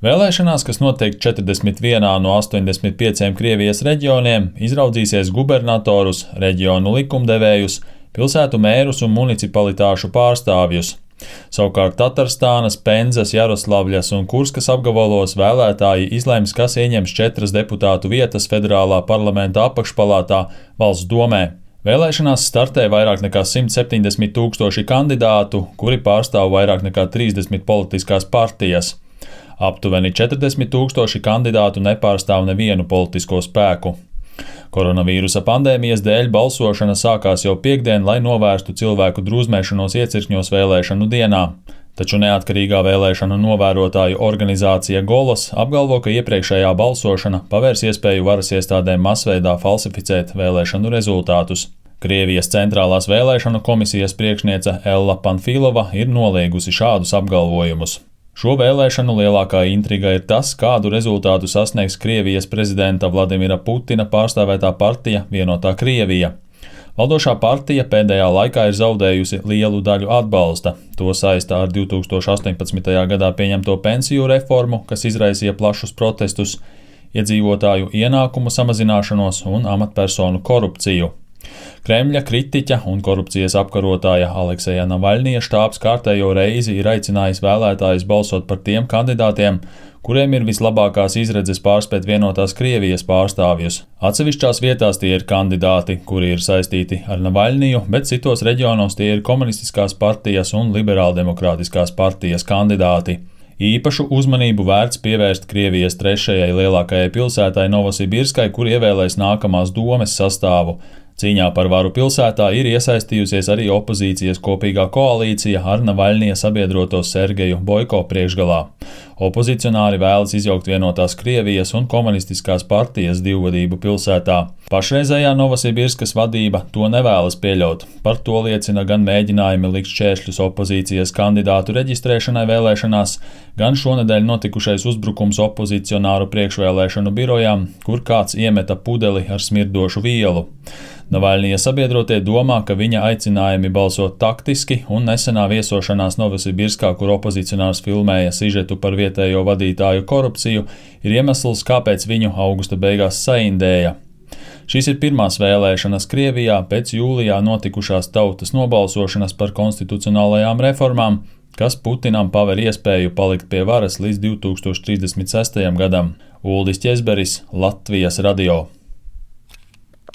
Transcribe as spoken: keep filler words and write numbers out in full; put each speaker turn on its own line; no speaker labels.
Vēlēšanās, kas notiek četrdesmit vienā no astoņdesmit pieciem Krievijas reģioniem, izraudzīsies gubernatorus, reģionu likumdevējus, pilsētu mērus un municipalitāšu pārstāvjus. Savukārt Tatarstānas, Penzas, Jaroslavļas un Kurskas apgabalos vēlētāji izlems, kas ieņems četras deputātu vietas federālā parlamenta apakšpalātā Valsts domē. Vēlēšanās startē vairāk nekā simt septiņdesmit tūkstoši kandidātu, kuri pārstāv vairāk nekā trīsdesmit politiskās partijas. Aptuveni četrdesmit tūkstoši kandidātu nepārstāv nevienu politisko spēku. Koronavīrusa pandēmijas dēļ balsošana sākās jau piektdien, lai novērstu cilvēku drūzmēšanos iecirkņos vēlēšanu dienā. Taču neatkarīgā vēlēšanu novērotāju organizācija Golos apgalvo, ka iepriekšējā balsošana pavērs iespēju varas iestādēm masveidā falsificēt vēlēšanu rezultātus. Krievijas centrālās vēlēšanu komisijas priekšniece Ella Panfilova ir noliegusi šādus apgalvojumus. Šo vēlēšanu lielākā intriga ir tas, kādu rezultātu sasniegs Krievijas prezidenta Vladimira Putina pārstāvētā partija Vienotā Krievija. Valdošā partija pēdējā laikā ir zaudējusi lielu daļu atbalsta. To saistā ar divs tūkstoši astoņpadsmitajā gadā pieņemto pensiju reformu, kas izraisīja plašus protestus, iedzīvotāju ienākumu samazināšanos un amatpersonu korupciju. Kremļa kritiķa un korupcijas apkarotāja Alekseja Navaļnija štābs kārtējo reizi ir aicinājis vēlētājus balsot par tiem kandidātiem, kuriem ir vislabākās izredzes pārspēt Vienotās Krievijas pārstāvjus. Atsevišķās vietās tie ir kandidāti, kuri ir saistīti ar Navaļniju, bet citos reģionos tie ir komunistiskās partijas un liberāldemokrātiskās partijas kandidāti. Īpašu uzmanību vērts pievērst Krievijas trešajai lielākajai pilsētai Novosibirskai, kur ievēlēs nākamās domes sastāvu. Cīņā par varu pilsētā ir iesaistījusies arī opozīcijas kopīgā koalīcija ar Navaļnija sabiedroto Sergeju Boiko priekšgalā. Opozicionāri vēlas izjaukt Vienotās Krievijas un komunistiskās partijas divvadību pilsētā. Pašreizējā Novosibirskas vadība to nevēlas pieļaut. Par to liecina gan mēģinājumi likt šķēršļus opozīcijas kandidātu reģistrēšanai vēlēšanās, gan šonedēļ notikušais uzbrukums opozicionāru priekšvēlēšanu birojām, kur kāds iemeta pudeli ar smirdošu vielu. Navaļnija sabiedrotie domā, ka viņa aicinājumi balsot taktiski un nesenā viesošanās Novosibirskā, kur opozicionārs filmēja sižetu par vietējo vadītāju korupciju, ir iemesls, kāpēc viņu augusta beigās saindēja. Šīs ir pirmās vēlēšanas Krievijā pēc jūlijā notikušās tautas nobalsošanas par konstitucionālajām reformām, kas Putinam paver iespēju palikt pie varas līdz divi tūkstoši trīsdesmit sestajam gadam. Uldis Ķezberis, Latvijas radio.